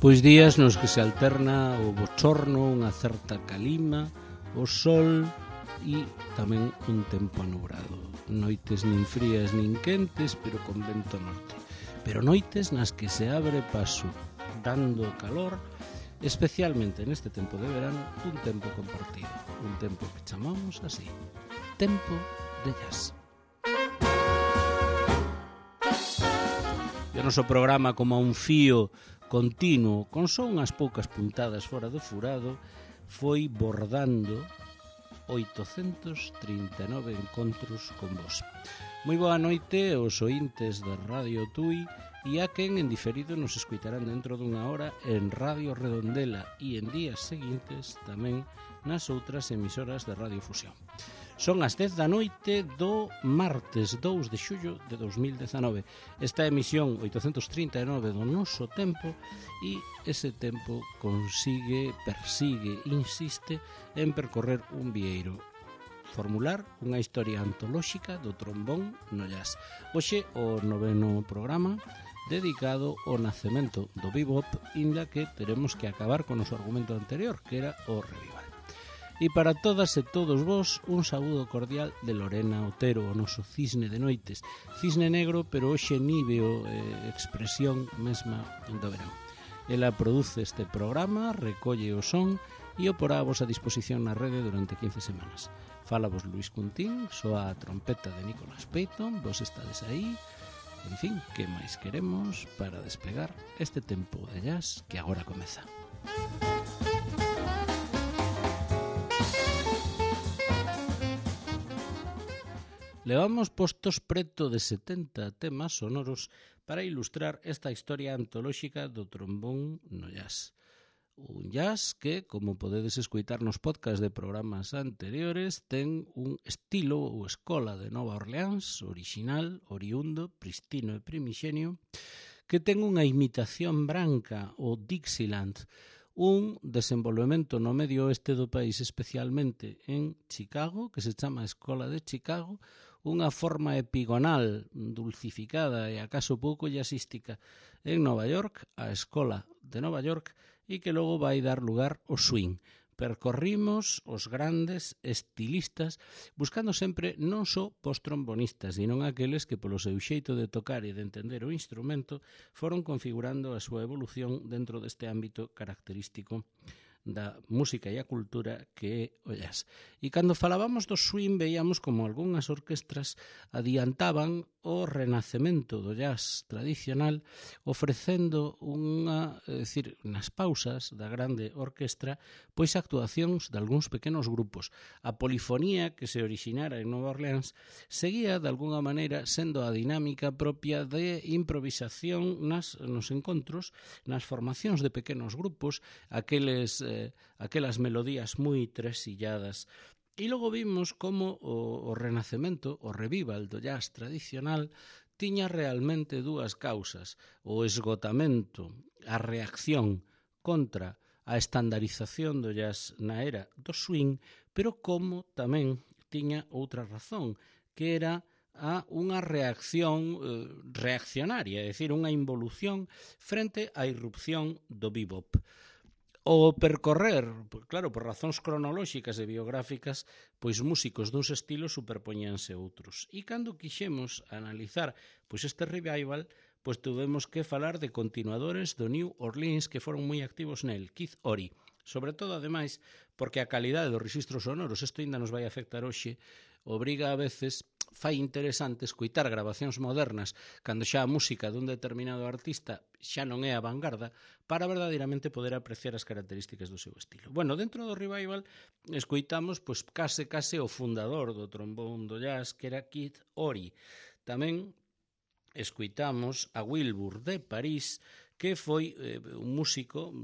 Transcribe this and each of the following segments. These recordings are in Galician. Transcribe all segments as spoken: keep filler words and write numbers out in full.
Pois días nos que se alterna o bochorno, unha certa calima, o sol e tamén un tempo anubrado. Noites nin frías nin quentes, pero con vento norte. Pero noites nas que se abre paso, dando calor, especialmente neste tempo de verano, un tempo compartido. Un tempo que chamamos así, tempo de jazz. E o noso programa como un fío continuo, con só unhas poucas puntadas fora do furado, foi bordando oitocentos trinta e nove encontros con vos. Moi boa noite aos ointes de Radio Tui e a quen en diferido nos escuitarán dentro dunha hora en Radio Redondela e en días seguintes tamén nas outras emisoras de Radio Fusión. Son as dez da noite do martes dous de xullo de dos mil dezanove. Esta emisión oitocentos trinta e nove do noso tempo e ese tempo consigue, persigue, insiste en percorrer un vieiro. Formular unha historia antolóxica do trombón no jazz. Hoxe o noveno programa dedicado ao nacemento do bebop, inda que teremos que acabar con o noso argumento anterior, que era o revival. E para todas e todos vos, un saúdo cordial de Lorena Otero, o noso cisne de noites. Cisne negro, pero hoxe níveo eh, expresión mesma do verán. Ela produce este programa, recolle o son e o porá a vosa disposición na rede durante quince semanas. Fala vos Luis Cuntín, soa a trompeta de Nicolás Peyton, vos estades aí. En fin, que máis queremos para despegar este tempo de jazz que agora comeza. Levamos postos preto de setenta temas sonoros para ilustrar esta historia antolóxica do trombón no jazz. Un jazz que, como podedes escoitar nos podcast de programas anteriores, ten un estilo ou escola de Nova Orleans, original, oriundo, pristino e primixenio, que ten unha imitación branca, o Dixieland, un desenvolvemento no medio oeste do país, especialmente en Chicago, que se chama Escola de Chicago, unha forma epigonal, dulcificada e acaso pouco jazzística en Nova York, a Escola de Nova York, e que logo vai dar lugar ao swing. Percorrimos os grandes estilistas buscando sempre non só postrombonistas, sino aqueles que polo seu xeito de tocar e de entender o instrumento foron configurando a súa evolución dentro deste ámbito característico da música e a cultura que é o jazz. E cando falábamos do swing veíamos como algunhas orquestras adiantaban o renacemento do jazz tradicional ofrecendo unha, é dicir, nas pausas da grande orquestra, pois actuacións de algúns pequenos grupos. A polifonía que se originara en Nova Orleans seguía de algunha maneira sendo a dinámica propia de improvisación nas, nos encontros, nas formacións de pequenos grupos, aqueles eh, aquelas melodías moi tresilladas. E logo vimos como o, o renacemento, o revival do jazz tradicional tiña realmente dúas causas, o esgotamento, a reacción contra a estandarización do jazz na era do swing, pero como tamén tiña outra razón, que era a unha reacción eh, reaccionaria, é dicir, unha involución frente á irrupción do bebop. O percorrer, claro, por razóns cronolóxicas e biográficas, pois músicos duns estilos superpoñíanse outros. E cando quixemos analizar pois este revival, pois tuvemos que falar de continuadores do New Orleans que foron moi activos nel, Keith Ory. Sobre todo, ademais, porque a calidade dos rexistros sonoros, isto ainda nos vai afectar hoxe, obriga a veces, fai interesante escoitar grabacións modernas cando xa a música dun determinado artista xa non é a vanguarda para verdadeiramente poder apreciar as características do seu estilo. Bueno, dentro do revival escoitamos pois case case o fundador do trombón do jazz, que era Keith Ory. Tamén escoitamos a Wilbur de París, que foi eh, un músico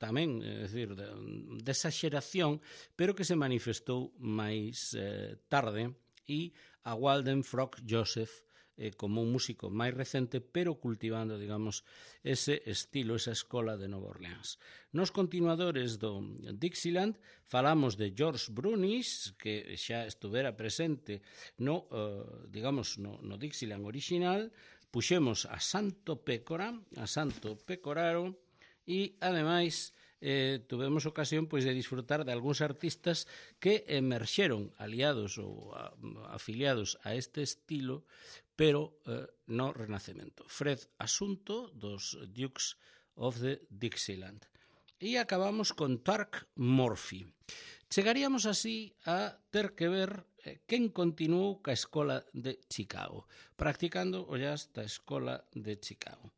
tamén, é dicir, de, desa xeración, pero que se manifestou máis eh, tarde, e a Walden Frog Joseph eh, como un músico máis recente, pero cultivando, digamos, ese estilo, esa escola de Nova Orleans. Nos continuadores do Dixieland falamos de George Brunis, que xa estuvera presente no, eh, digamos, no, no Dixieland original. Puxemos a Santo Pécora, a Santo Pecoraro, e, ademais, eh, tuvemos ocasión pois, de disfrutar de algúns artistas que emerxeron aliados ou a, afiliados a este estilo, pero eh, no Renacemento. Fred Asunto, dos Dukes of the Dixieland. E acabamos con Turk Murphy. Chegaríamos así a ter que ver eh, quen continuou ca Escola de Chicago, practicando o jazz da Escola de Chicago.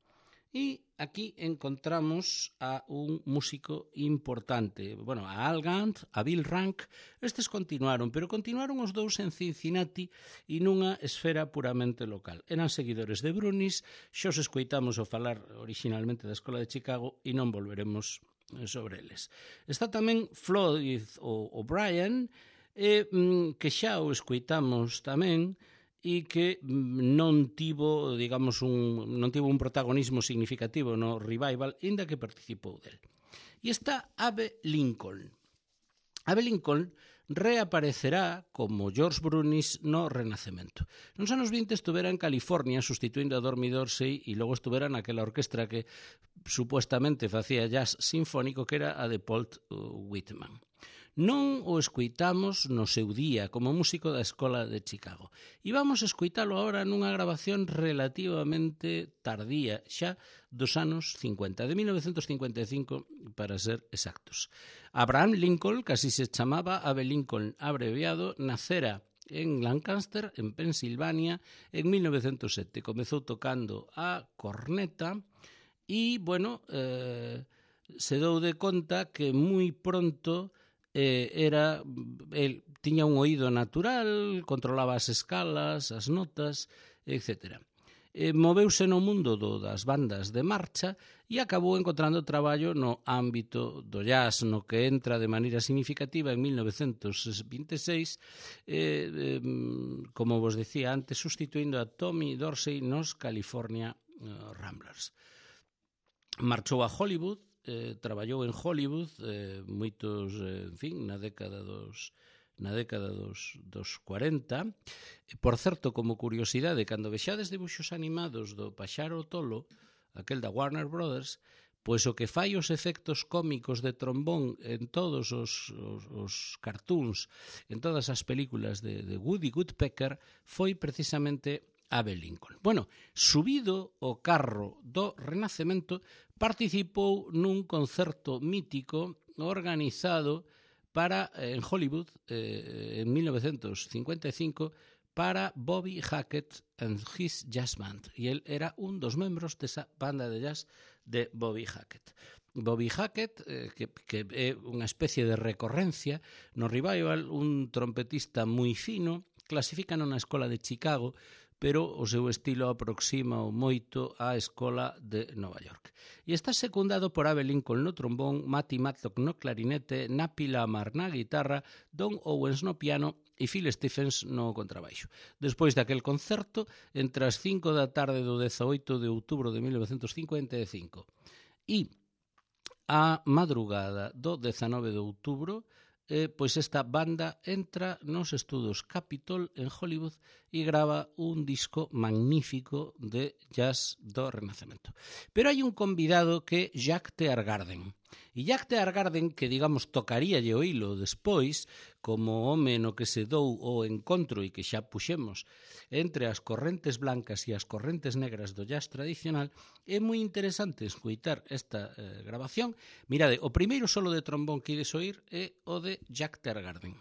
E aquí encontramos a un músico importante, bueno, a Al Gant, a Bill Rank. Estes continuaron, pero continuaron os dous en Cincinnati e nunha esfera puramente local. Eran seguidores de Brunis, xa os escoitamos o falar originalmente da Escola de Chicago e non volveremos sobre eles. Está tamén Floyd O'Brien, eh, que xa o escoitamos tamén, e que non tivo, digamos, un, non tivo un protagonismo significativo no revival, inda que participou del. E está Abe Lincoln. Abe Lincoln reaparecerá como George Brunis no Renacemento. Nos anos vinte estuvera en California sustituindo a Dormy Dorsey e logo estuvera naquela orquestra que supuestamente facía jazz sinfónico que era a de Paul Whitman. Non o escoitamos no seu día como músico da Escola de Chicago. E vamos a escoitalo agora nunha grabación relativamente tardía, xa dos anos cincuenta, de mil novecentos cincuenta e cinco para ser exactos. Abraham Lincoln, que así se chamaba, Abe Lincoln abreviado, nacera en Lancaster, en Pensilvania, en mil novecentos sete. Comezou tocando a corneta e, bueno, eh, se dou de conta que moi pronto Eh, era, el tiña un oído natural, controlaba as escalas, as notas, etcétera. Eh, moveuse no mundo do, das bandas de marcha e acabou encontrando traballo no ámbito do jazz, no que entra de maneira significativa en mil novecentos vinte e seis, eh, eh, como vos decía antes, sustituindo a Tommy Dorsey nos California eh, Ramblers. Marchou a Hollywood, Eh, traballou en Hollywood eh, moitos, eh, en fin, na década dos na década dos, dos cuarenta. Por certo, como curiosidade, cando vexades dibuxos animados do Paxaro Tolo, aquel da Warner Brothers, pois o que fai os efectos cómicos de trombón en todos os, os, os cartoons, en todas as películas de, de Woody Woodpecker, foi precisamente Abe Lincoln. Bueno, subido o carro do Renacemento, participou nun concerto mítico organizado para en Hollywood eh, en mil novecentos cincuenta e cinco para Bobby Hackett and his Jazz Band. E el era un dos membros desa banda de jazz de Bobby Hackett. Bobby Hackett, eh, que, que é unha especie de recorrencia no revival, un trompetista moi fino, clasifican na Escola de Chicago, pero o seu estilo aproxima o moito á Escola de Nova York. E está secundado por Abe Lincoln no trombón, Matty Matlock no clarinete, Napi Lamar na guitarra, Don Owens no piano e Phil Stephens no contrabaixo. Despois daquel concerto, entre as cinco da tarde do dezaoito de outubro de mil novecentos cincuenta e cinco e a madrugada do dezanove de outubro, Eh, pois esta banda entra nos estudos Capitol en Hollywood e grava un disco magnífico de jazz do Renacemento. Pero hai un convidado que é Jack Teargarden. E Jack Teargarden, que digamos tocaríalle o hilo despois, como home no que se dou o encontro e que xa puxemos entre as correntes blancas e as correntes negras do jazz tradicional, é moi interesante escoitar esta eh, grabación. Mirade, o primeiro solo de trombón que ides oír é o de Jack Teargarden.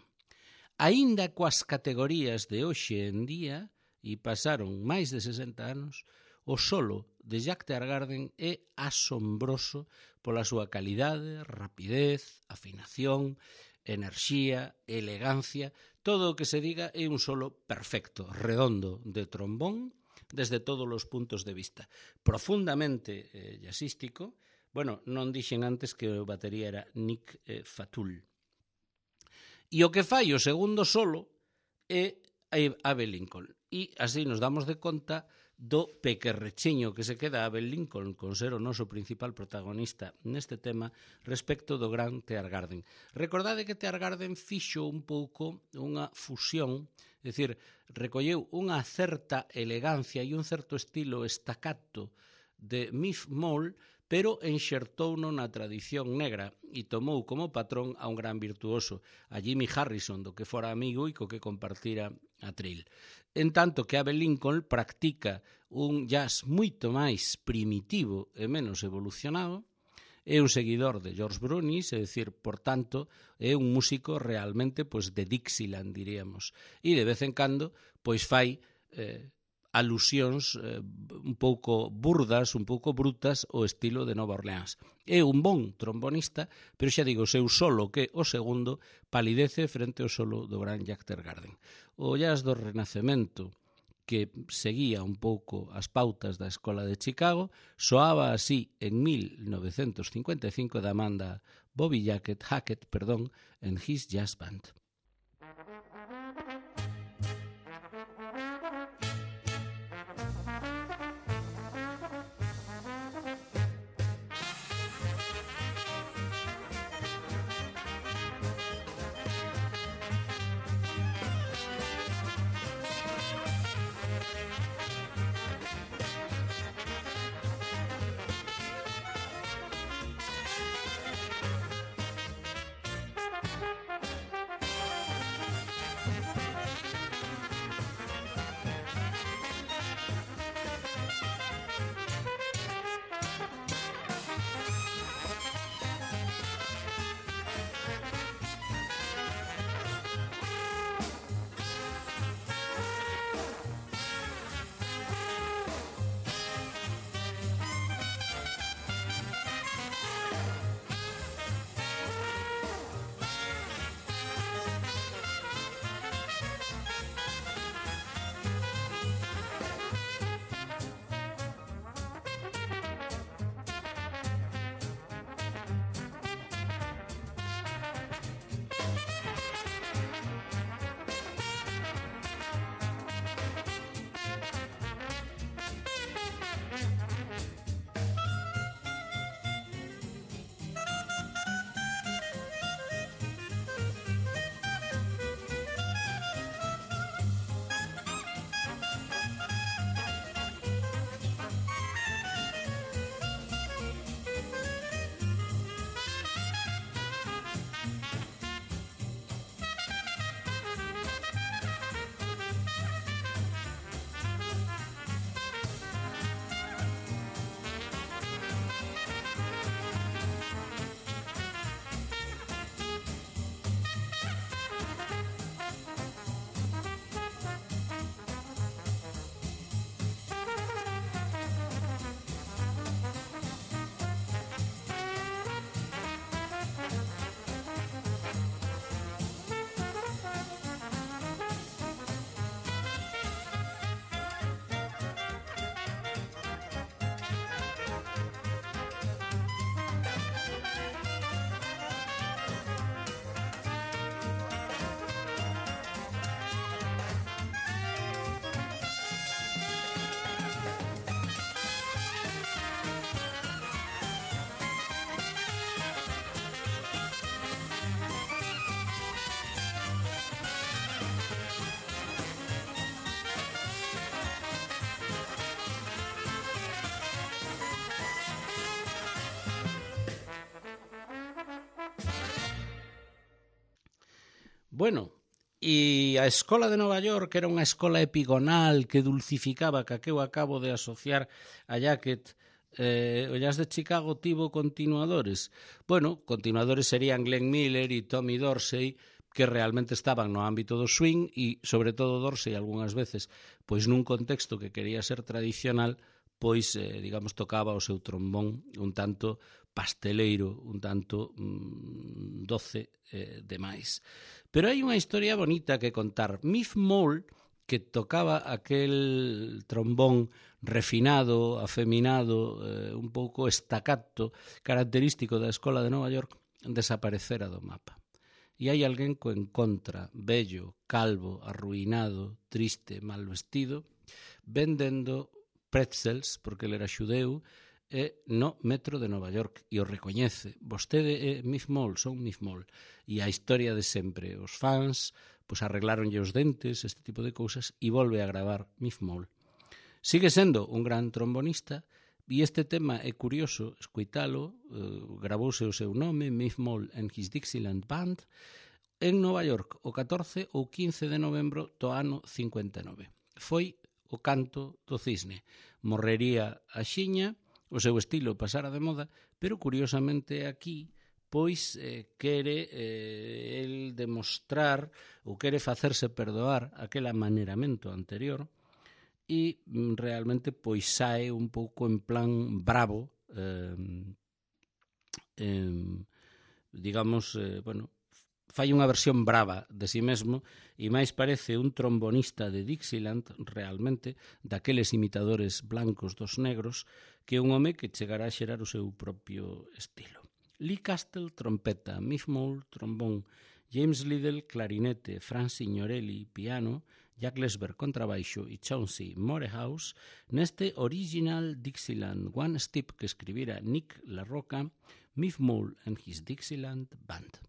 Aínda coas categorías de hoxe en día, e pasaron máis de sesenta anos, o solo de Jack Teargarden é asombroso pola súa calidade, rapidez, afinación, enerxía, elegancia. Todo o que se diga é un solo perfecto, redondo, de trombón, desde todos os puntos de vista. Profundamente eh, jazzístico. Bueno, non dixen antes que o batería era Nick eh, Fatul. E o que fai o segundo solo é Abe Lincoln. E así nos damos de conta do pequerrechiño que se queda Abe Lincoln con ser o noso principal protagonista neste tema respecto do gran Teargarden. Recordade que Teargarden fixo un pouco unha fusión, é dicir, recolleu unha certa elegancia e un certo estilo estacato de Miff Mole, pero enxertouno na tradición negra e tomou como patrón a un gran virtuoso, a Jimmy Harrison, do que fora amigo e co que compartira a tril. En tanto que Abe Lincoln practica un jazz moito máis primitivo e menos evolucionado, é un seguidor de George Brunis, é dicir, por tanto, é un músico realmente pois, de Dixieland, diríamos, e de vez en cando pois fai eh, alusións eh, un pouco burdas, un pouco brutas ao estilo de Nova Orleans. É un bon trombonista, pero xa digo, o seu solo, que o segundo, palidece frente ao solo do gran Jack Teargarden. O jazz do Renacemento, que seguía un pouco as pautas da Escola de Chicago, soaba así en mil novecentos cincuenta e cinco da banda Bobby Hackett, Hackett perdón, en His Jazz Band. Bueno, e a Escola de Nova York era unha escola epigonal que dulcificaba, que eu acabo de asociar a Hackett. Eh, o jazz de Chicago tivo continuadores. Bueno, continuadores serían Glenn Miller e Tommy Dorsey, que realmente estaban no ámbito do swing e, sobre todo, Dorsey, algunhas veces, pois nun contexto que quería ser tradicional, pois, eh, digamos, tocaba o seu trombón un tanto pasteleiro, un tanto mm, doce eh, demais. Pero hai unha historia bonita que contar. Miff Mole, que tocaba aquel trombón refinado, afeminado, eh, un pouco estacato, característico da Escola de Nova York, desaparecera do mapa. E hai alguén co encontra, vello, calvo, arruinado, triste, mal vestido, vendendo pretzels, porque ele era xudeu, e no metro de Nova York, e o recoñece. Vostede é Miff Mole, son Miff Mole. E a historia de sempre, os fans pois arreglaronlle os dentes, este tipo de cousas, e volve a gravar Miff Mole. Sigue sendo un gran trombonista, E este tema é curioso escoitalo, eh, gravouse o seu nome, Miff Mole and his Dixieland Band, en Nova York o catorce ou quince de novembro do ano cincuenta e nove. Foi o canto do cisne. Morrería a xiña, o seu estilo pasara de moda, pero curiosamente aquí pois eh, quere eh, el demostrar ou quere facerse perdoar aquel amaneramento anterior e realmente pois sae un pouco en plan bravo, eh, eh, digamos, eh, bueno, fai unha versión brava de si mesmo e máis parece un trombonista de Dixieland realmente, daqueles imitadores blancos dos negros, que un home que chegará a xerar o seu propio estilo. Lee Castle, trompeta, Miff Mole, trombón, James Liddell, clarinete, Franz Signorelli, piano, Jack Lesber, contrabaixo e Chauncey Morehouse, neste original Dixieland One Step que escribira Nick LaRocca, Miff Mole and his Dixieland Band.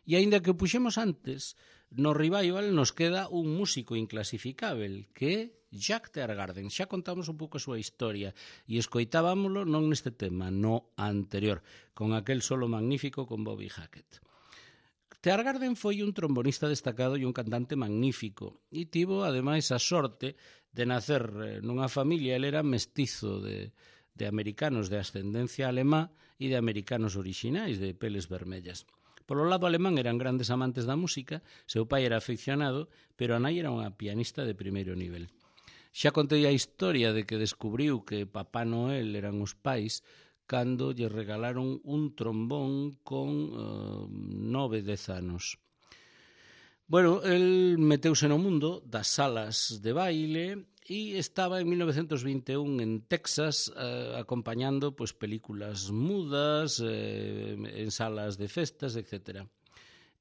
E aínda que o puxemos antes, no revival nos queda un músico inclasificável, que é Jack Teargarden. Xa contamos un pouco a súa historia e escoitábamolo non neste tema, no anterior, con aquel solo magnífico con Bobby Hackett. Teargarden foi un trombonista destacado e un cantante magnífico e tivo, ademais, a sorte de nacer nunha familia. Ele era mestizo de, de americanos de ascendencia alemá e de americanos orixinais de peles vermellas. Polo lado alemán eran grandes amantes da música, seu pai era aficionado, pero a nai era unha pianista de primeiro nivel. Xa contei a historia de que descubriu que Papá Noel eran os pais cando lle regalaron un trombón con uh, nove, dez anos. Bueno, el meteuse no mundo das salas de baile e estaba en mil novecientos vinte e un en Texas eh, acompañando pues, películas mudas eh, en salas de festas, etcétera.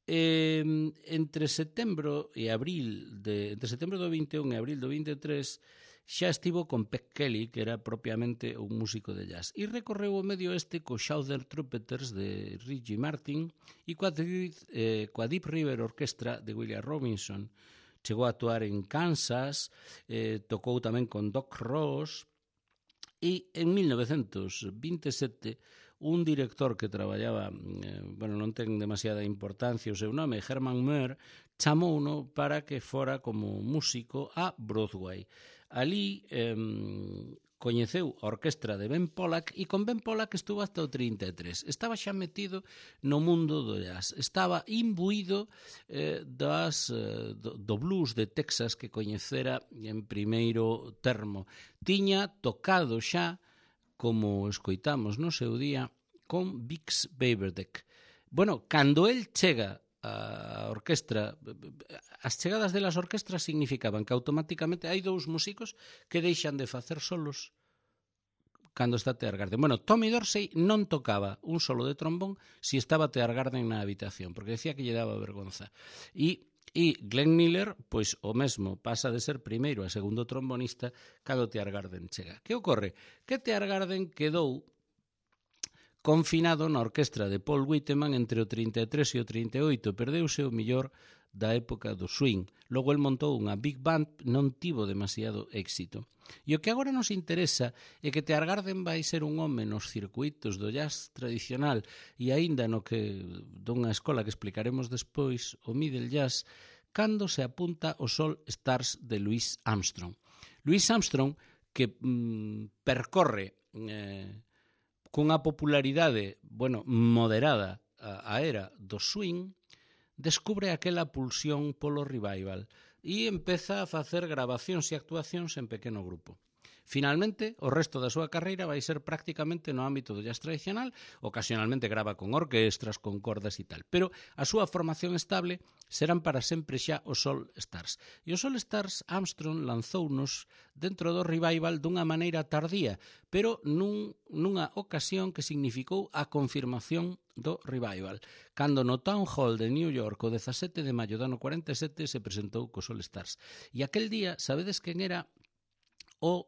Eh, entre setembro e abril de, entre setembro do vinte e un e abril do vinte e tres xa estivo con Peg Kelly, que era propiamente un músico de jazz, e recorreu o medio oeste co Southern Trumpeters de Reggie Martin e coa, eh, coa Deep River Orchestra de William Robinson. Chegou a actuar en Kansas, eh, tocou tamén con Doc Ross, e en mil novecientos vinte e sete un director que traballaba, eh, bueno, non ten demasiada importancia o seu nome, Herman Muir, chamouno para que fora como músico a Broadway. Ali eh, coñeceu a orquestra de Ben Pollack e con Ben Pollack estuvo hasta o trinta e tres. Estaba xa metido no mundo do jazz, estaba imbuído eh, das, eh, do, do blues de Texas que coñecera en primeiro termo. Tiña tocado xa, como escoitamos no seu día, con Bix Beiderbecke. Bueno, cando el chega a orquestra, as chegadas delas orquestras significaban que automáticamente hai dous músicos que deixan de facer solos cando está Tear Garden. Bueno, Tommy Dorsey non tocaba un solo de trombón si estaba Tear Garden na habitación, porque decía que lle daba vergonza. E E Glenn Miller, pois o mesmo, pasa de ser primeiro a segundo trombonista cando Tear Garden chega. Que ocorre? Que Tear Garden quedou confinado na orquestra de Paul Whiteman entre o trinta e tres e o trinta e oito, perdeuse o millor da época do swing. Logo el montou unha big band, non tivo demasiado éxito. E o que agora nos interesa é que Tear Garden vai ser un home nos circuitos do jazz tradicional e aínda no que dunha escola que explicaremos despois, o middle jazz, cando se apunta o All Stars de Louis Armstrong. Louis Armstrong, que mm, percorre eh, cunha popularidade, bueno, moderada a, a era do swing, descubre aquela pulsión polo revival e empeza a facer grabacións e actuacións en pequeno grupo. Finalmente, o resto da súa carreira vai ser prácticamente no ámbito do jazz tradicional, ocasionalmente grava con orquestras, con cordas e tal, pero a súa formación estable serán para sempre xa os All Stars. E os All Stars Armstrong lanzounos dentro do revival dunha maneira tardía, pero nun, nunha ocasión que significou a confirmación do revival, cando no Town Hall de New York o dezasete de maio do ano cuarenta e sete se presentou cos All Stars. E aquel día, sabedes quen era o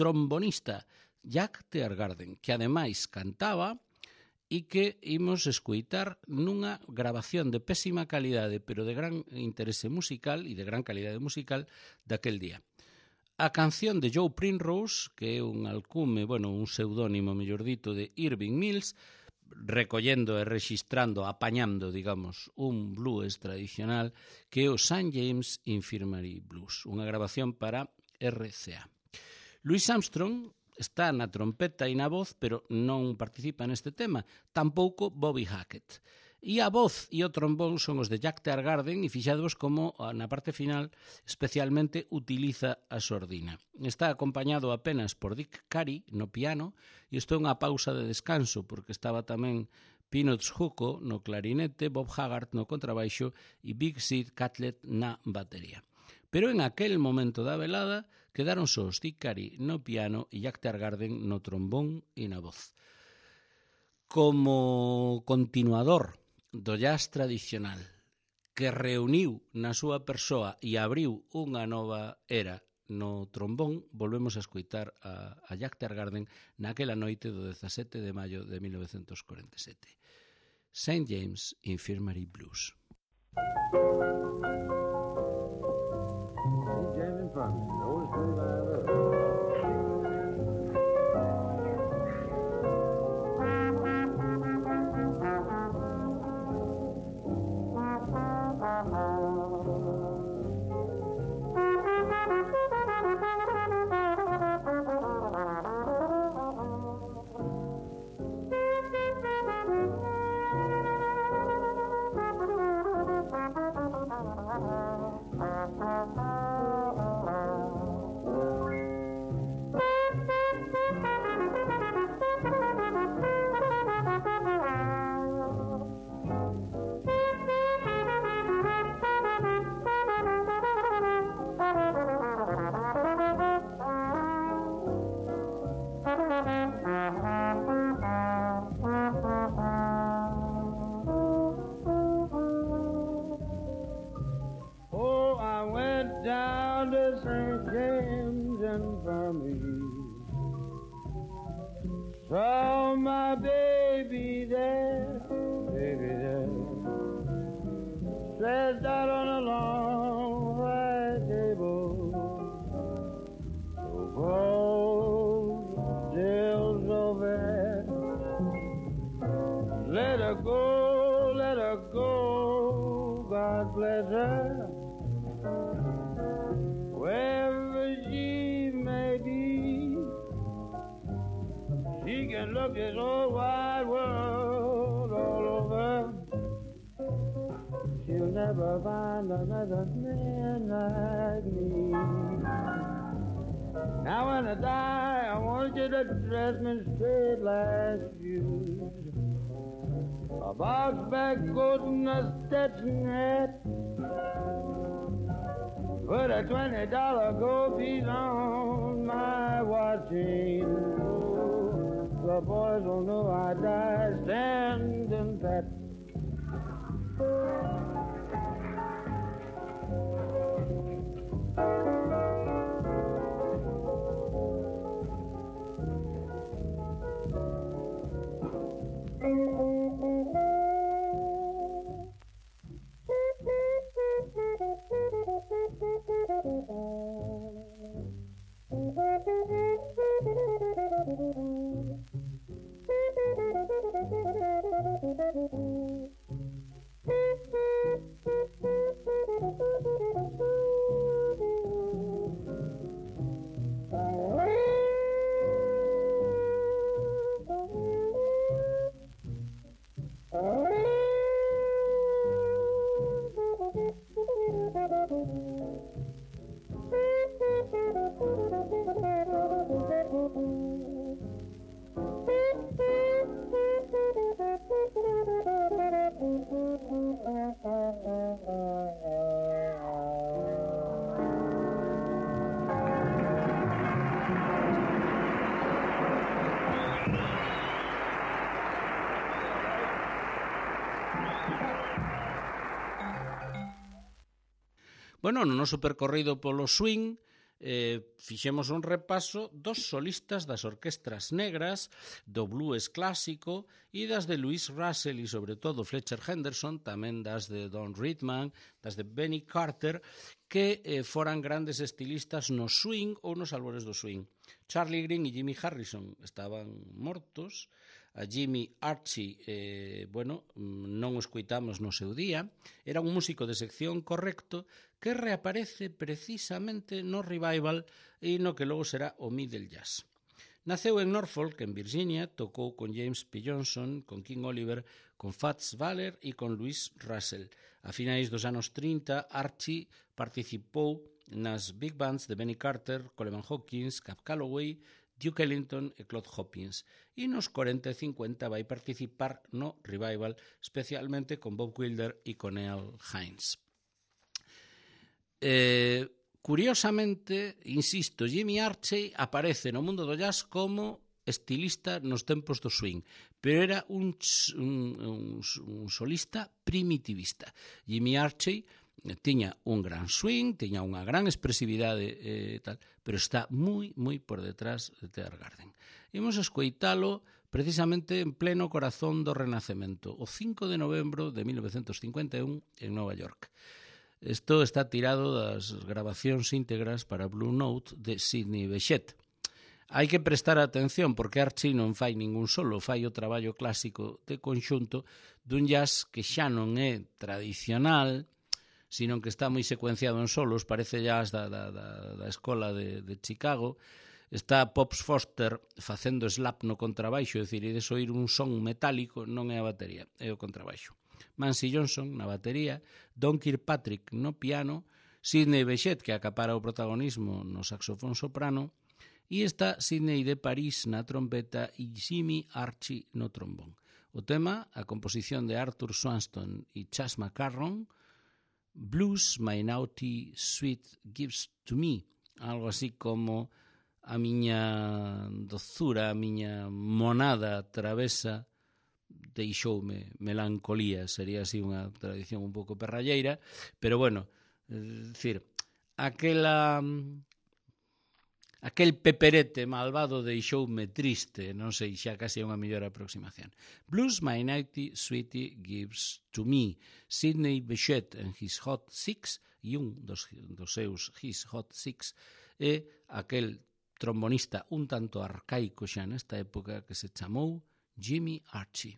trombonista Jack Tear Garden, que ademais cantaba e que imos escoitar nunha grabación de pésima calidade, pero de gran interese musical e de gran calidade musical daquel día. A canción de Joe Primrose, que é un alcume, bueno, un pseudónimo, mellor dito, de Irving Mills, recollendo e rexistrando, apañando, digamos, un blues tradicional que é o Saint James Infirmary Blues, unha grabación para R C A. Louis Armstrong está na trompeta e na voz, pero non participa neste tema, tampouco Bobby Hackett. E a voz e o trombón son os de Jack Tear Garden e fixadvos como na parte final especialmente utiliza a sordina. Está acompañado apenas por Dick Carey no piano e isto é unha pausa de descanso porque estaba tamén Peanuts Hugo no clarinete, Bob Haggart no contrabaixo e Big Sid Catlett na batería. Pero en aquel momento da velada quedaron só Dick Carey no piano e Jack Tear Garden no trombón e na voz. Como continuador do jazz tradicional que reuniu na súa persoa e abriu unha nova era no trombón, volvemos a escoitar a, a Jack Tear Garden naquela noite do dezasete de maio de mil novecientos cuarenta e sete. Saint James Infirmary Blues. Thank you. stretched out on a long white table. So cold, still so bad. Let her go, let her go, God bless her. Wherever she may be, she can look this whole wide world all over. She'll never find another man like me. Now when I die, I want you to dress me straight like shoes. A box back coat and a Stetson hat. Put a twenty dollar gold piece on my watch chain. Oh, the boys will know I died standing pat. Bueno, no noso percorrido polo swing, eh, fixemos un repaso dos solistas das orquestras negras, do blues clásico e das de Louis Russell e sobre todo Fletcher Henderson, tamén das de Don Ritman, das de Benny Carter, que eh, foran grandes estilistas no swing ou nos albores do swing. Charlie Green e Jimmy Harrison estaban mortos, a Jimmy Archie, eh, bueno, non o escoitamos no seu día, era un músico de sección correcto que reaparece precisamente no revival e no que logo será o middle jazz. Naceu en Norfolk, en Virginia, tocou con James P. Johnson, con King Oliver, con Fats Waller e con Louis Russell. A finais dos anos trinta, Archie participou nas big bands de Benny Carter, Coleman Hawkins, Cab Calloway, Duke Ellington e Claude Hopkins. E nos cuarenta e cincuenta vai participar no revival, especialmente con Bob Wilder e con Earl Hines. Eh, curiosamente, insisto, Jimmy Archie aparece no mundo do jazz como estilista nos tempos do swing, pero era un, un, un solista primitivista. Jimmy Archie tiña un gran swing, tiña unha gran expresividade e eh, tal, pero está moi, moi por detrás de Tear Garden. Imos escoitalo precisamente en pleno corazón do Renacemento, o cinco de novembro de mil novecentos cincuenta e un en Nova York. Isto está tirado das grabacións íntegras para Blue Note de Sidney Bechet. Hai que prestar atención porque Archie non fai ningún solo, fai o traballo clásico de conxunto dun jazz que xa non é tradicional, sino que está moi secuenciado en solos, parece jazz da, da, da, da escola de, de Chicago. Está Pops Foster facendo slap no contrabaixo, é dicir, ides oír un son metálico, non é a batería, é o contrabaixo. Mansi Johnson na batería, Don Kirkpatrick no piano, Sidney Bechet, que acapara o protagonismo no saxofón soprano, e está Sidney de París na trompeta e Jimmy Archie no trombón. O tema, a composición de Arthur Swanston e Chas McCarron, Blues My Naughty Sweet Gives to Me, algo así como a miña dozura, a miña monada travesa deixoume melancolía, sería así unha tradición un pouco perralleira, pero bueno, é dicir, aquela aquel peperete malvado deixoume triste, non sei, xa casi é unha mellor aproximación. Blues My Nighty Sweetie Gives to Me, Sidney Bechet en His Hot Six, e un dos, dos seus His Hot Six é aquel trombonista un tanto arcaico xa nesta época que se chamou Jimmy Archie.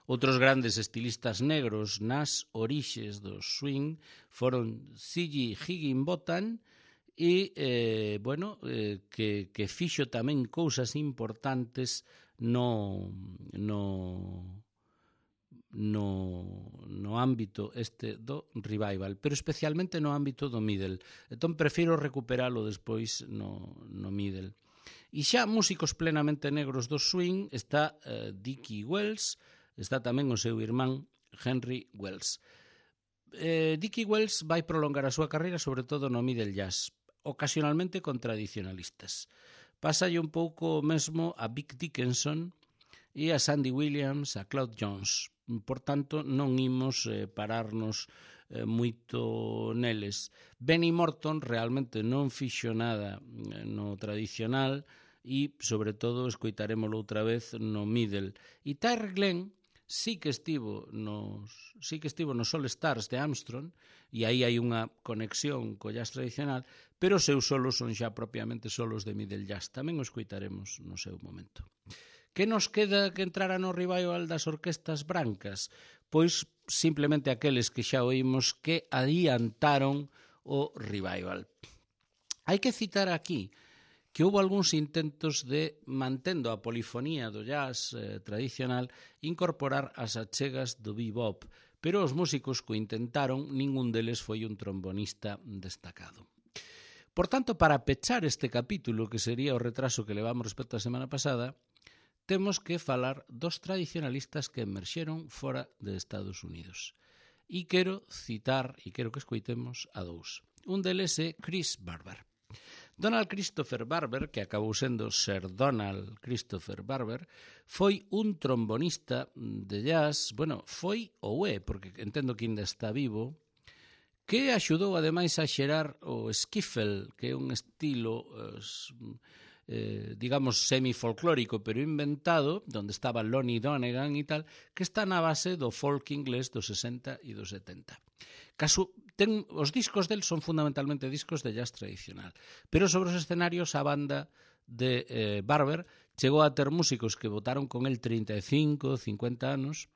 Outros grandes estilistas negros nas orixes do swing foron C G Higginbotham e, eh, bueno, eh, que, que fixo tamén cousas importantes no, no, no, no ámbito este do revival, pero especialmente no ámbito do middle. Entón, prefiro recuperalo despois no, no middle. E xa músicos plenamente negros do swing está eh, Dickie Wells, está tamén o seu irmán Henry Wells. Eh, Dickie Wells vai prolongar a súa carreira sobre todo no middle jazz, ocasionalmente con tradicionalistas. Pásalle un pouco mesmo a Vic Dickinson e a Sandy Williams, a Claude Jones. Por tanto, non imos eh, pararnos eh, moito neles. Benny Morton realmente non fixo nada no tradicional e, sobre todo, escoitaremoslo outra vez no middle. E Tyrell Glenn sí que estivo nos sí que estivo nos All Stars de Armstrong, e aí hai unha conexión co jazz tradicional, pero os seus solos son xa propiamente solos de middle jazz. Tamén o escoitaremos no seu momento. Que nos queda que entrara no revival das orquestas brancas? Pois simplemente aqueles que xa oímos que adiantaron o revival. Hai que citar aquí que houve algúns intentos de, mantendo a polifonía do jazz eh, tradicional, incorporar as achegas do bebop, pero os músicos que o intentaron, ningún deles foi un trombonista destacado. Por tanto, para pechar este capítulo, que sería o retraso que levamos respecto á semana pasada, temos que falar dos tradicionalistas que emerxeron fora de Estados Unidos. E quero citar, e quero que escoitemos a dous. Un deles é Chris Barber. Donald Christopher Barber, que acabou sendo Sir Donald Christopher Barber, foi un trombonista de jazz, bueno, foi ou é, porque entendo que ainda está vivo, que axudou ademais a xerar o skiffle, que é un estilo, eh, digamos, semi-folclórico, pero inventado, onde estaba Lonnie Donegan e tal, que está na base do folk inglés dos sesenta e dos setenta. Caso, ten, os discos del son fundamentalmente discos de jazz tradicional, pero sobre os escenarios a banda de eh, Barber chegou a ter músicos que votaron con el trinta e cinco, cincuenta anos,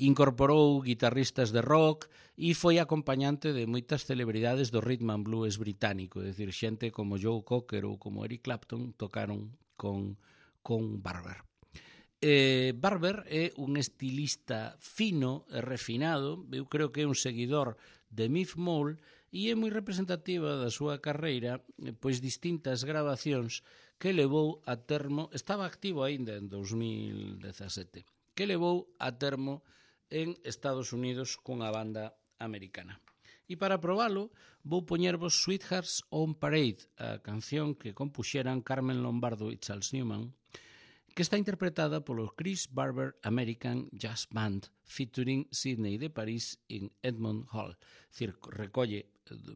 incorporou guitarristas de rock e foi acompañante de moitas celebridades do rhythm and blues británico, é dicir, xente como Joe Cocker ou como Eric Clapton tocaron con, con Barber. Eh, Barber é un estilista fino e refinado, eu creo que é un seguidor de Miff Mole e é moi representativa da súa carreira, pois distintas grabacións que levou a termo, estaba activo aínda en dos mil dezasete, que levou a termo en Estados Unidos cunha banda americana. E para probalo, vou poñervos Sweethearts on Parade, a canción que compuxeran Carmen Lombardo e Charles Newman, que está interpretada polo Chris Barber American Jazz Band featuring Sidney de París en Edmond Hall. Es decir, recolle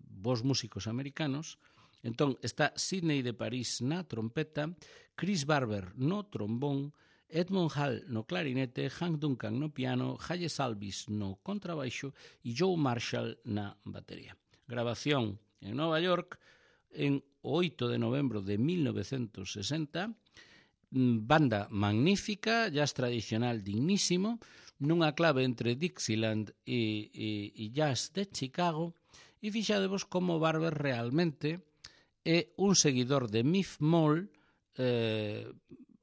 vos músicos americanos. Entón, está Sidney de París na trompeta, Chris Barber no trombón, Edmond Hall no clarinete, Hank Duncan no piano, Haye Salvis no contrabaixo e Joe Marshall na batería. Grabación en Nova York en oito de novembro de mil novecentos sesenta, banda magnífica, jazz tradicional dignísimo, nunha clave entre Dixieland e, e, e jazz de Chicago, e fixadevos como Barber realmente é un seguidor de Miff Mole, eh,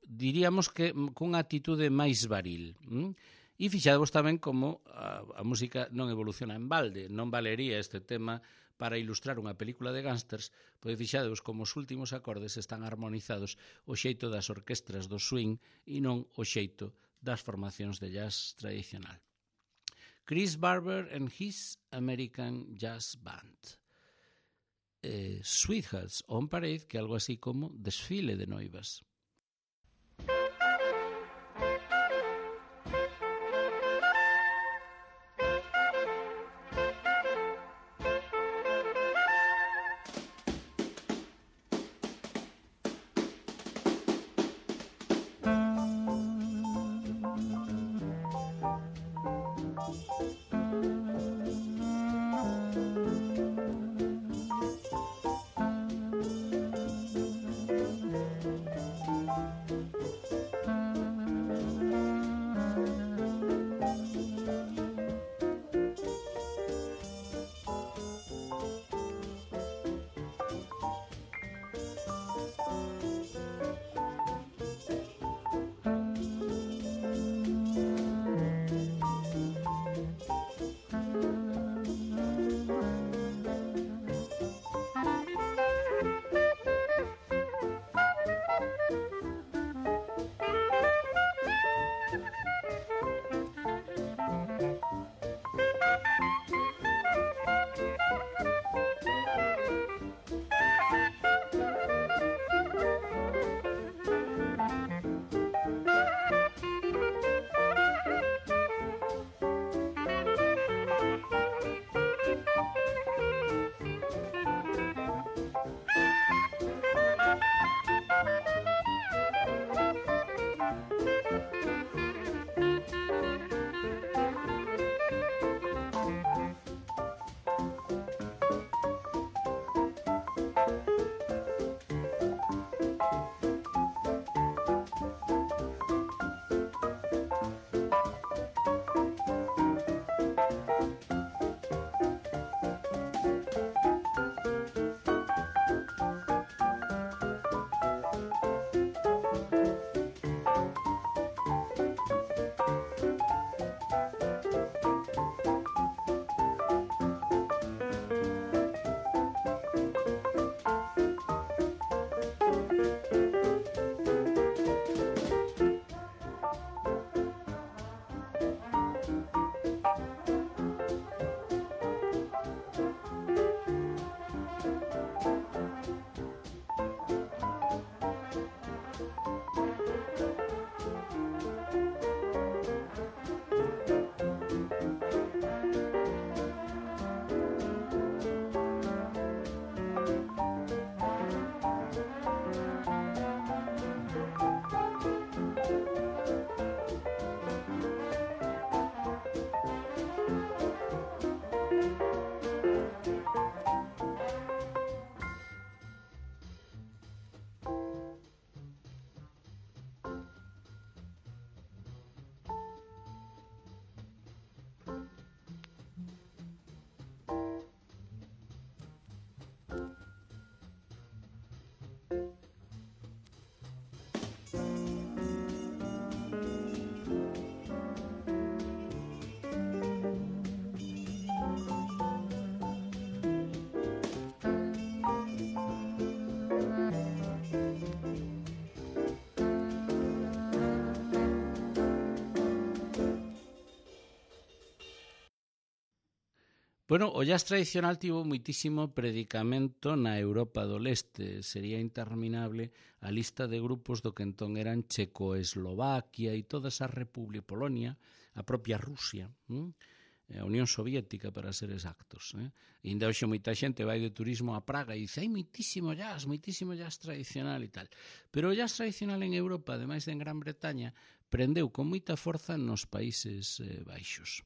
diríamos que cunha atitude máis varil. Hm? E fixadevos tamén como a, a música non evoluciona en balde, non valería este tema para ilustrar unha película de gángsters, pois fixadeos como os últimos acordes están armonizados o xeito das orquestras do swing e non o xeito das formacións de jazz tradicional. Chris Barber and his American Jazz Band. Eh, Sweethearts on Parade, que é algo así como desfile de noivas. Bueno, o jazz tradicional tivo moitísimo predicamento na Europa do Leste. Sería interminable a lista de grupos do que entón eran Checoslovaquia e toda esa República, Polonia, a propia Rusia, hm? a Unión Soviética, para ser exactos. Eh? E ainda hoxe moita xente vai de turismo a Praga e dice hai moitísimo jazz, moitísimo jazz tradicional e tal. Pero o jazz tradicional en Europa, ademais de en Gran Bretaña, prendeu con moita forza nos Países eh, Baixos.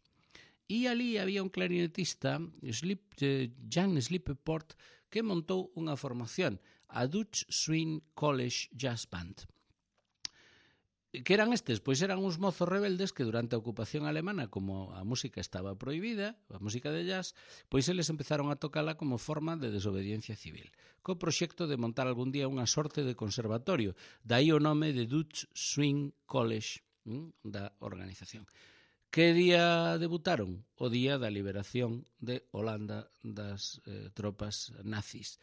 E ali había un clarinetista, Slip, eh, Jan Slipperport, que montou unha formación, a Dutch Swing College Jazz Band. Que eran estes? Pois eran uns mozos rebeldes que durante a ocupación alemana, como a música estaba prohibida, a música de jazz, pois eles empezaron a tocala como forma de desobediencia civil, co proxecto de montar algún día unha sorte de conservatorio, dai o nome de Dutch Swing College, hm, da organización. Que día debutaron? O día da liberación de Holanda das eh, tropas nazis.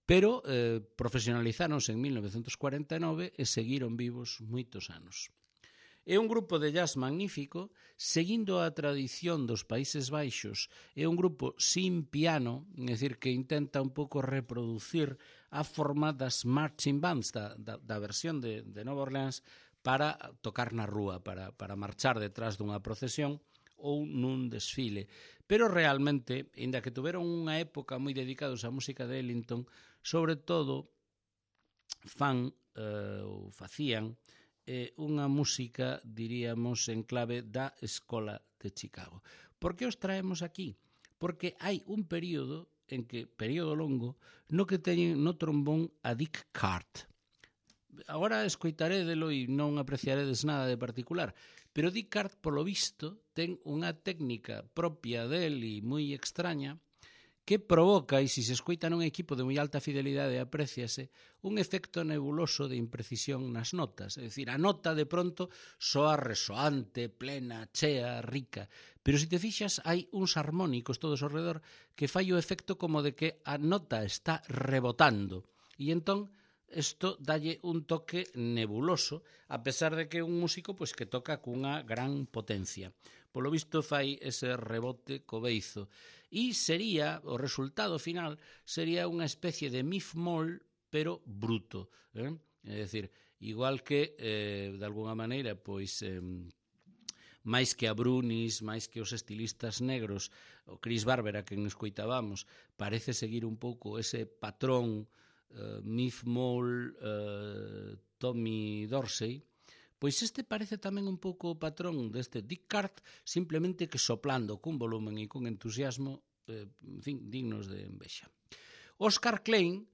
Pero eh, profesionalizáronse en mil novecentos cuarenta e nove e seguiron vivos moitos anos. É un grupo de jazz magnífico, seguindo a tradición dos Países Baixos, é un grupo sin piano, é dicir, que intenta un pouco reproducir a forma das marching bands, da, da, da versión de, de Nova Orleans, para tocar na rúa, para, para marchar detrás dunha procesión ou nun desfile. Pero realmente, ainda que tuveron unha época moi dedicados á música de Ellington, sobre todo fan eh, ou facían eh, unha música, diríamos, en clave da Escola de Chicago. Por que os traemos aquí? Porque hai un período, en que período longo, no que teñen no trombón a Dick Cart. Agora escoitarédelo e non apreciaredes nada de particular, pero Dick Cart, polo visto, ten unha técnica propia del e moi extraña que provoca, e se se escoita nun equipo de moi alta fidelidade apréciase, un efecto nebuloso de imprecisión nas notas. É dicir, a nota de pronto soa resoante, plena, chea, rica. Pero se te fixas, hai uns armónicos todos ao redor que fai o efecto como de que a nota está rebotando. E entón, isto dalle un toque nebuloso, a pesar de que é un músico pois, que toca cunha gran potencia. Polo visto fai ese rebote co beizo. E sería, o resultado final, sería unha especie de mif-mol, pero bruto. Eh? É dicir, igual que, eh, de alguna maneira, pois... Eh, máis que a Brunis, máis que os estilistas negros, o Chris Barber, a quen escoitábamos, parece seguir un pouco ese patrón Uh, Miff Mole, uh, Tommy Dorsey, pois este parece tamén un pouco o patrón deste Dick Cart, simplemente que soplando cun volumen e cun entusiasmo eh, en fin, dignos de envexa. Oscar Klein,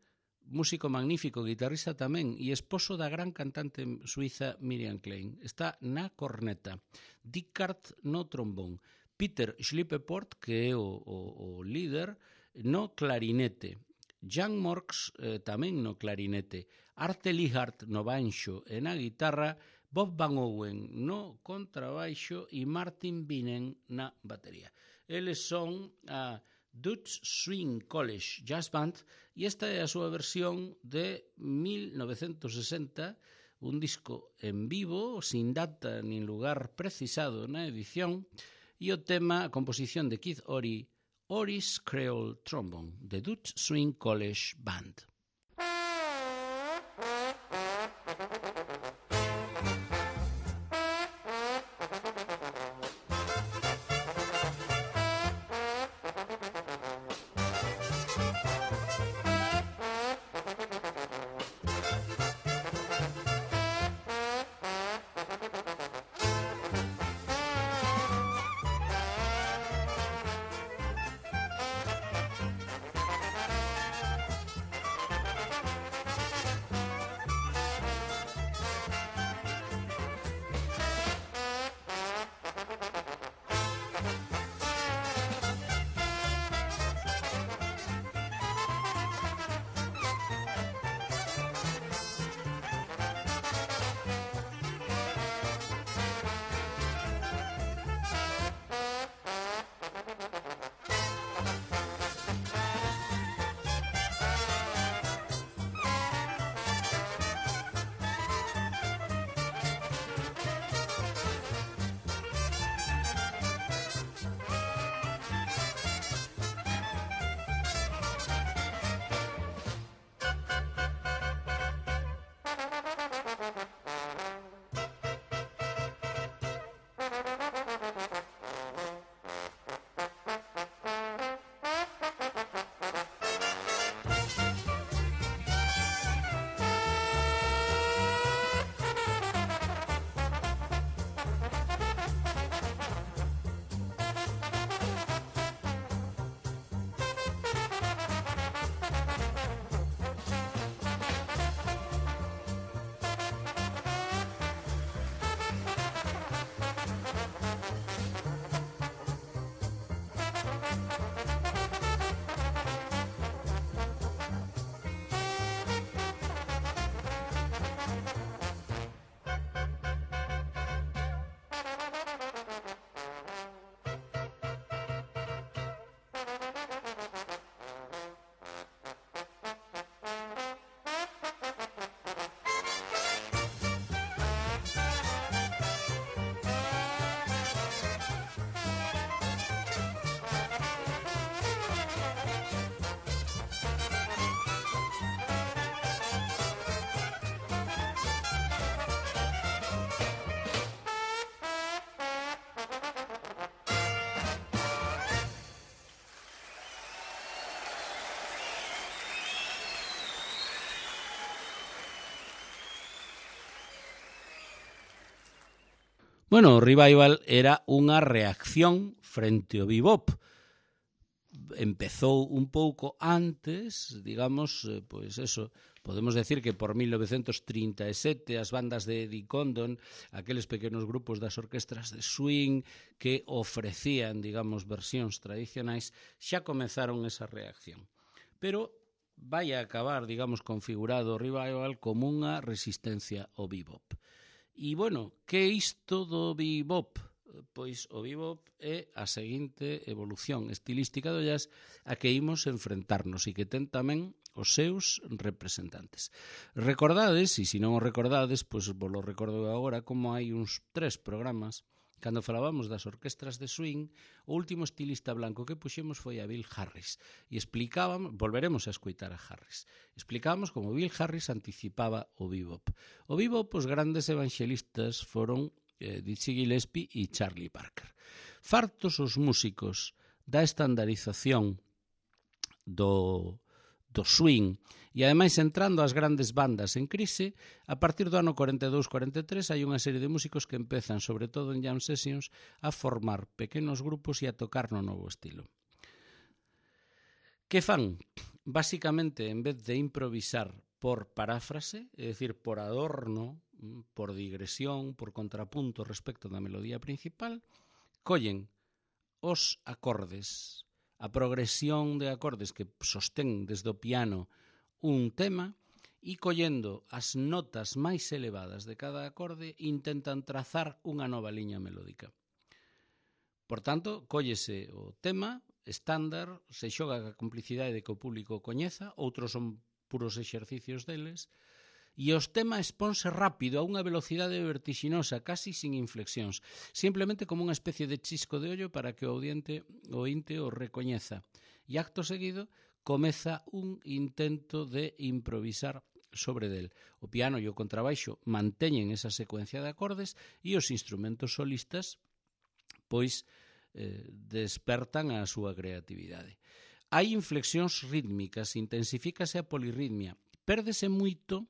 músico magnífico, guitarrista tamén e esposo da gran cantante suiza Miriam Klein, está na corneta, Dick Cart no trombón, Peter Schlipperport, que é o, o, o líder, no clarinete, Jan Morks eh, tamén no clarinete, Arte Lihart no banxo e na guitarra, Bob Van Owen no contrabaixo e Martin Binnen na batería. Eles son a Dutch Swing College Jazz Band e esta é a súa versión de mil novecentos sesenta, un disco en vivo, sin data nin lugar precisado na edición, e o tema, a composición de Keith Ory, Ory's Creole Trombone, the Dutch Swing College Band. Bueno, o revival era unha reacción frente ao bebop. Empezou un pouco antes, digamos, pois eso, podemos decir que por mil novecentos trinta e sete as bandas de Eddie Condon, aqueles pequenos grupos das orquestras de swing que ofrecían, digamos, versións tradicionais, xa comezaron esa reacción. Pero vai a acabar, digamos, configurado o revival como unha resistencia ao bebop. E, bueno, que é isto do bebop? Pois o bebop é a seguinte evolución estilística do jazz a que imos enfrentarnos e que ten tamén os seus representantes. Recordades, e se non o recordades, pois vos lo recordo agora, como hai uns tres programas, cando falábamos das orquestras de swing, o último estilista blanco que puxemos foi a Bill Harris, e explicábamos, volveremos a escoitar a Harris, explicábamos como Bill Harris anticipaba o bebop. O bebop, os grandes evangelistas foron Dizzy Gillespie e Charlie Parker. Fartos os músicos da estandarización do, do swing e ademais entrando as grandes bandas en crise, a partir do ano cuarenta e dous cuarenta e tres hai unha serie de músicos que empezan, sobre todo en jam sessions, a formar pequenos grupos e a tocar no novo estilo. Que fan? Básicamente, en vez de improvisar por paráfrase, é dicir, por adorno, por digresión, por contrapunto respecto da melodía principal, collen os acordes, a progresión de acordes que sostén desde o piano un tema e collendo as notas máis elevadas de cada acorde intentan trazar unha nova liña melódica. Por tanto, collese o tema estándar, se xoga a complicidade de que o público coñeza, outros son puros exercicios deles, e os temas exponse rápido a unha velocidade vertixinosa, casi sin inflexións, simplemente como unha especie de chisco de ollo para que o audiente, o ointe o recoñeza. E acto seguido comeza un intento de improvisar sobre del. O piano e o contrabaixo manteñen esa secuencia de acordes e os instrumentos solistas pois eh, despertan a súa creatividade. Hai inflexións rítmicas, intensifícase a polirritmia, pérdese moito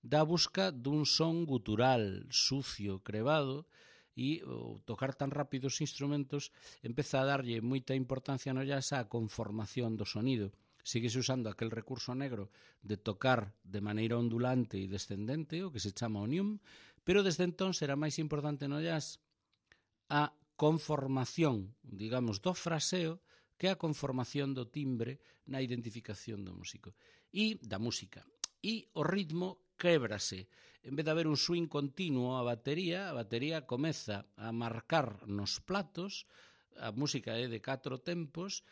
da busca dun son gutural, sucio, crevado, e o tocar tan rápido os instrumentos empeza a darlle moita importancia no jazz á conformación do sonido. Síguese usando aquel recurso negro de tocar de maneira ondulante e descendente, o que se chama onium, pero desde entón será máis importante no jazz a conformación, digamos, do fraseo que a conformación do timbre na identificación do músico e da música. E o ritmo québrase. En vez de haber un swing continuo a batería, a batería comeza a marcar nos platos, a música é de catro tempos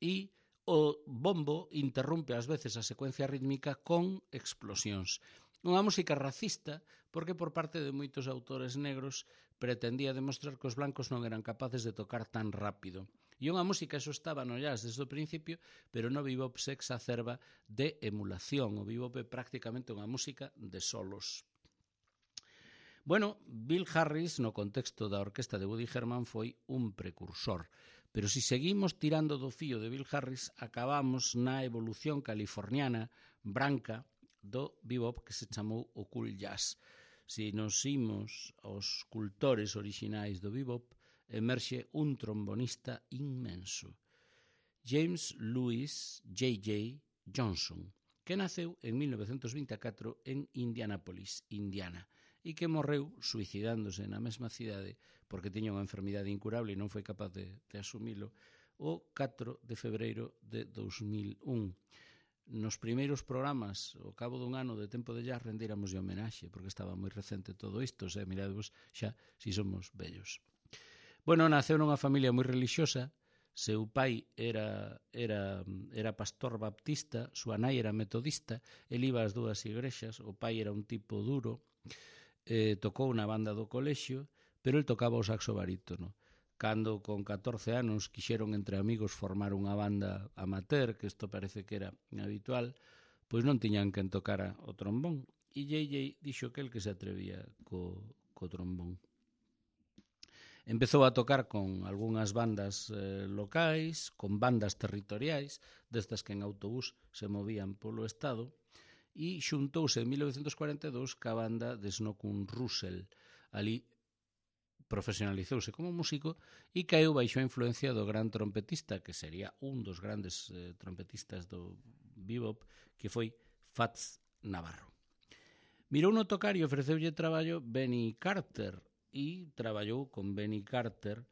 e o bombo interrompe ás veces a secuencia rítmica con explosións. Unha música racista porque por parte de moitos autores negros pretendía demostrar que os blancos non eran capaces de tocar tan rápido. E unha música, eso estaba no jazz desde o principio, pero no bebop se exacerba de emulación. O bebop é prácticamente unha música de solos. Bueno, Bill Harris, no contexto da orquesta de Woody Herman, foi un precursor. Pero se si seguimos tirando do fío de Bill Harris, acabamos na evolución californiana branca do bebop que se chamou o cool jazz. Se nos imos aos cultores orixinais do bebop, emerxe un trombonista inmenso, James Louis J J Johnson, que naceu en mil novecentos vinte e catro en Indianapolis, Indiana, e que morreu suicidándose na mesma cidade porque tiña unha enfermidade incurable e non foi capaz de, de asumilo o catro de febreiro de dous mil un. Nos primeiros programas, ao cabo dun ano de Tempo de Jazz, rendíramos de homenaxe, porque estaba moi recente todo isto, se miradvos xa si somos vellos. Bueno, naceu nunha familia moi religiosa, seu pai era, era, era pastor baptista, súa nai era metodista, el iba ás dúas igrexas, o pai era un tipo duro, eh, tocou na banda do colexio, pero el tocaba o saxo barítono. Cando con catorce anos quixeron entre amigos formar unha banda amateur, que isto parece que era habitual, pois non tiñan quen tocara o trombón, e J J dixo que el que se atrevía co, co trombón. Empezou a tocar con algunhas bandas eh, locais, con bandas territoriais, destas que en autobús se movían polo estado, e xuntouse en mil novecentos cuarenta e dous ca banda de Snookum Russell. Ali profesionalizouse como músico e caeu baixo a influencia do gran trompetista, que sería un dos grandes eh, trompetistas do bebop, que foi Fats Navarro. Mirou no tocar e ofreceulle traballo Benny Carter, e traballou con Benny Carter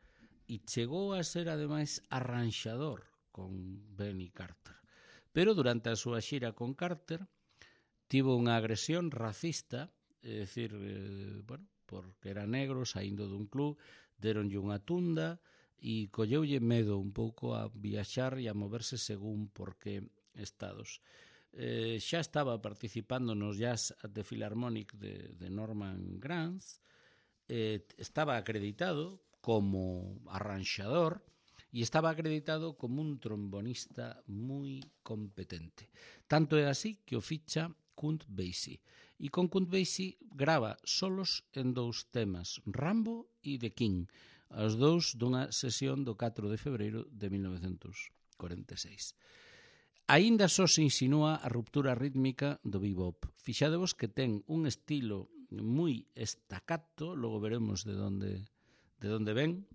e chegou a ser ademais arranxador con Benny Carter. Pero durante a súa xira con Carter tivo unha agresión racista, é dicir, eh, bueno, porque era negro, saindo dun club, deronlle unha tunda e colleulle medo un pouco a viaxar e a moverse según por que estados. Eh, xa estaba participando nos Jazz at the Philharmonic de, de Norman Granz, eh, estaba acreditado como arranxador e estaba acreditado como un trombonista moi competente. Tanto é así que o ficha Count Basie. E con Count Basie grava solos en dous temas, Rambo e The King, os dous dunha sesión do catro de febreiro de mil novecentos cuarenta e seis. Aínda só se insinúa a ruptura rítmica do bebop. Fixadevos que ten un estilo moi estacato, logo veremos de onde de onde ven.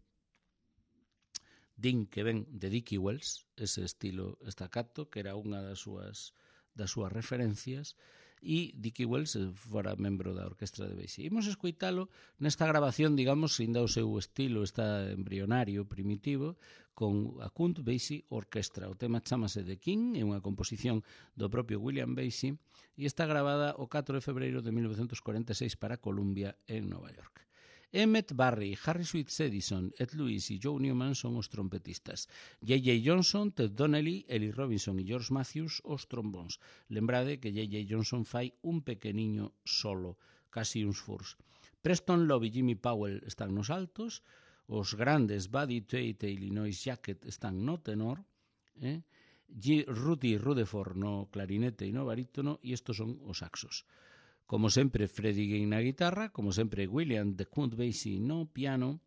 Din que ven de Dickie Wells, ese estilo estacato, que era unha das súas das súas referencias, e Dickie Wells fora membro da orquestra de Basie. Imos escoitalo nesta grabación, digamos, ainda o seu estilo está embrionario, primitivo, con a Count Basie Orquestra. O tema chamase The King, é unha composición do propio William Basie, e está gravada o catro de febreiro de mil novecentos cuarenta e seis para Columbia, en Nova York. Emmett Barry, Harry Sweet Edison, Ed Lewis e Joe Newman son os trompetistas. J J Johnson, Ted Donnelly, Ellie Robinson e George Matthews os trombóns. Lembrade que J J Johnson fai un pequeniño solo, casi uns furs. Preston Love e Jimmy Powell están nos altos, os grandes Buddy Tate e Illinois Jacket están no tenor, eh? Rudy Rutherford no clarinete e no barítono, e estos son os saxos. Como sempre, Freddie Gay na guitarra, como sempre, William de Count Basie no piano,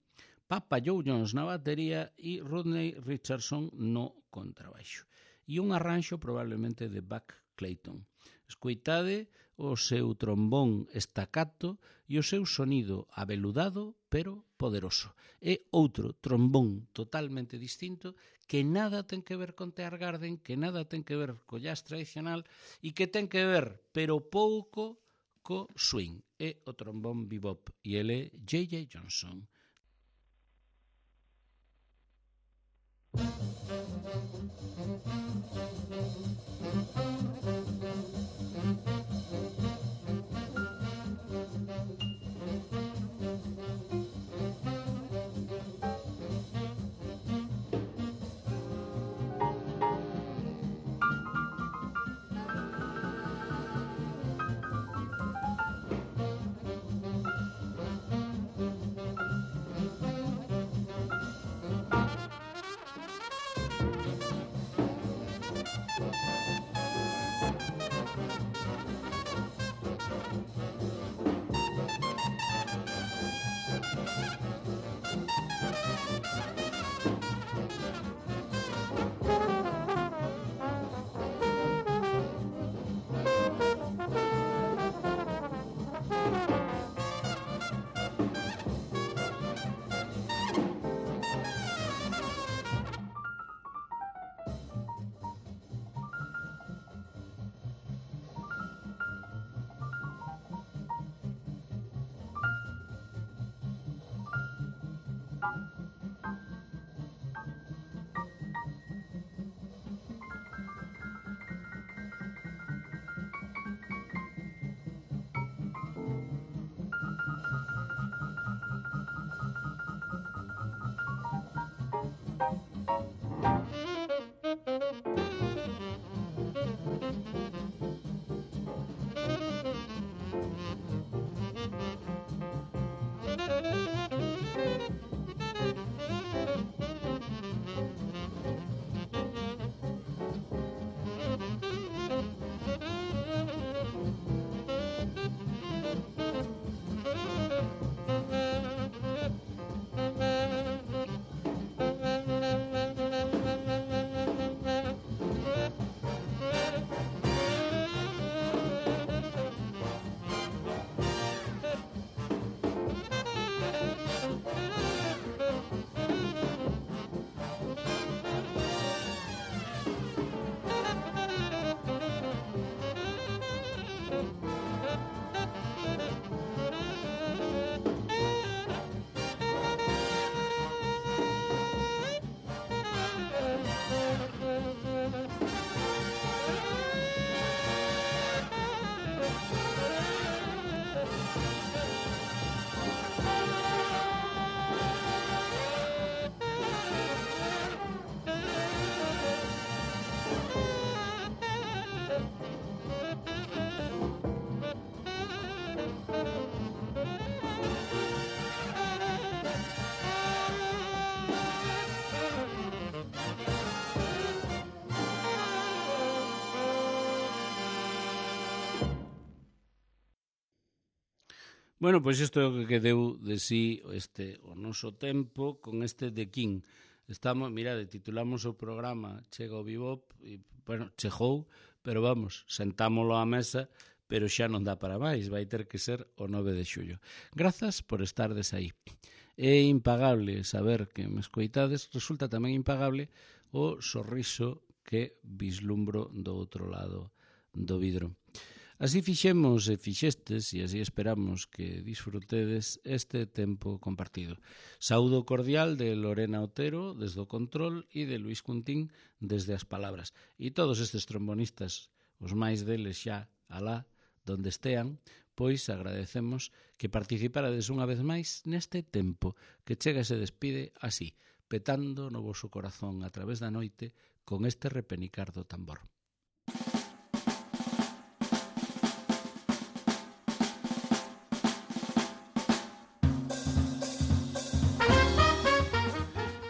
Papa Joe Jones na batería e Rodney Richardson no contrabaixo. E un arranxo probablemente de Buck Clayton. Escoitade o seu trombón estacato e o seu sonido aveludado pero poderoso. É outro trombón totalmente distinto que nada ten que ver con Tear Garden, que nada ten que ver co jazz tradicional e que ten que ver, pero pouco, co swing. É o trombón bebop e ele é J J Johnson. Bueno, pois isto é o que deu de sí este, o noso tempo con este de King. Estamos, mirade, titulamos o programa Chega o Bebop, e, bueno, chegou, pero vamos, sentámolo á mesa, pero xa non dá para máis, vai ter que ser o nove de xullo. Grazas por estardes aí. É impagable saber que me escoitades, resulta tamén impagable o sorriso que vislumbro do outro lado do vidro. Así fixemos e fixestes e así esperamos que disfrutedes este tempo compartido. Saúdo cordial de Lorena Otero desde o control e de Luis Cuntín desde as palabras. E todos estes trombonistas, os máis deles xa alá, donde estean, pois agradecemos que participarades unha vez máis neste tempo que chega e se despide así, petando no voso corazón a través da noite con este repenicar do tambor.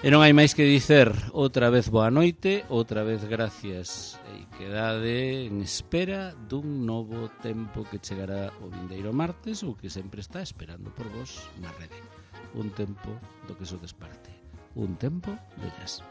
E non hai máis que dicer, outra vez boa noite, outra vez gracias e quedade en espera dun novo tempo que chegará o vindeiro martes ou que sempre está esperando por vos na rede. Un tempo do que sodes parte, un tempo de jazz.